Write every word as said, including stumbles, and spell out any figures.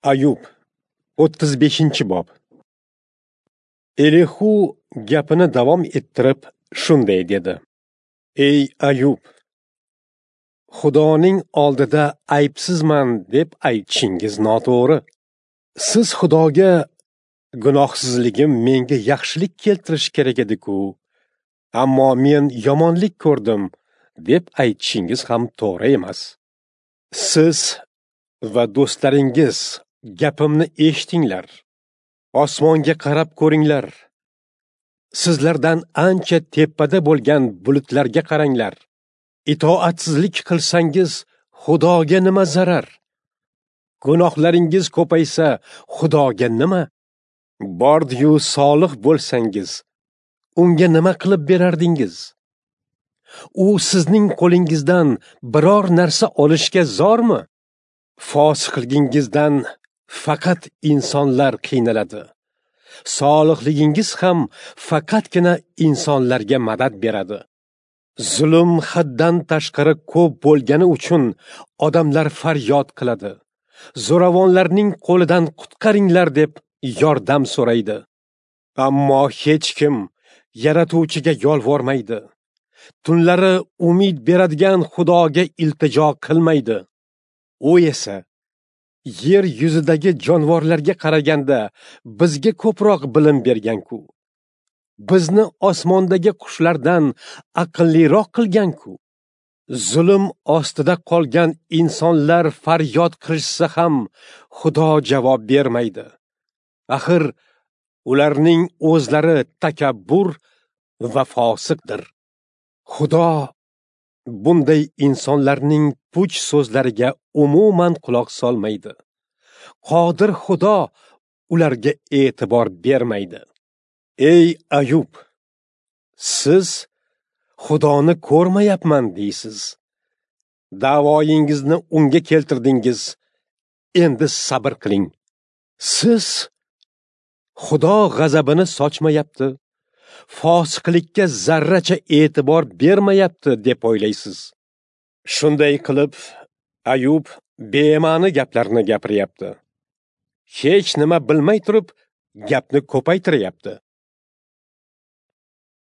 Ayub, o'ttiz beshinchi bob. Elihu gapini davom ettirib shunday dedi: Ey Ayub, Xudoning oldida aybsizman deb aytishingiz noto'g'ri. Siz Xudoga gunohsizligim menga yaxshilik keltirishi kerak edi-ku, ammo men yomonlik ko'rdim deb aytishingiz ham to'g'ri emas. Siz va do'stlaringiz gapimni eshitinglar. Osmonga qarab ko'ringlar. Sizlardan ancha tepada bo'lgan bulutlarga qaranglar. Itoatsizlik qilsangiz, Xudoga nima zarar? Gunohlaringiz ko'paysa, Xudoga nima? Bordi-yu solih bo'lsangiz, unga nima qilib berardingiz? U sizning qo'lingizdan biror narsa olishga zormi? Fosiqligingizdan faqat insonlar qiynaladi. Solihligingiz ham faqatgina insonlarga madad beradi. Zulm haddan tashqari ko'p bo'lgani uchun odamlar faryod qiladi. Zo'ravonlarning qo'lidan qutqaringlar deb yordam so'raydi. Ammo hech kim Yaratuvchiga yolvormaydi. Tunlari umid beradigan Xudoga iltijo qilmaydi. U esa yer yuzidagi jonivorlarga qaraganda bizga ko'proq bilim bergan-ku. Bizni osmondagi qushlardan aqlliroq qilgan-ku. Zulm ostida qolgan insonlar faryod qilishsa ham Xudo javob bermaydi. Axir ularning o'zlari takabbur va fosiqdir. Xudo bunday insonlarning puch so'zlariga umuman quloq solmaydi. Qodir Xudo ularga e'tibor bermaydi. Ey Ayub, siz Xudoni ko'rmayapman deysiz. Da'voyingizni unga keltirdingiz. Endi sabr qiling. Siz Xudo g'azabini sochmayapti, fosiqlikka zarracha e'tibor bermayapti deb o'ylaysiz. Shunday qilib, Ayub bema'ni gaplarni gapiryapti. Hech nima bilmay turib, gapni ko'paytiryapti.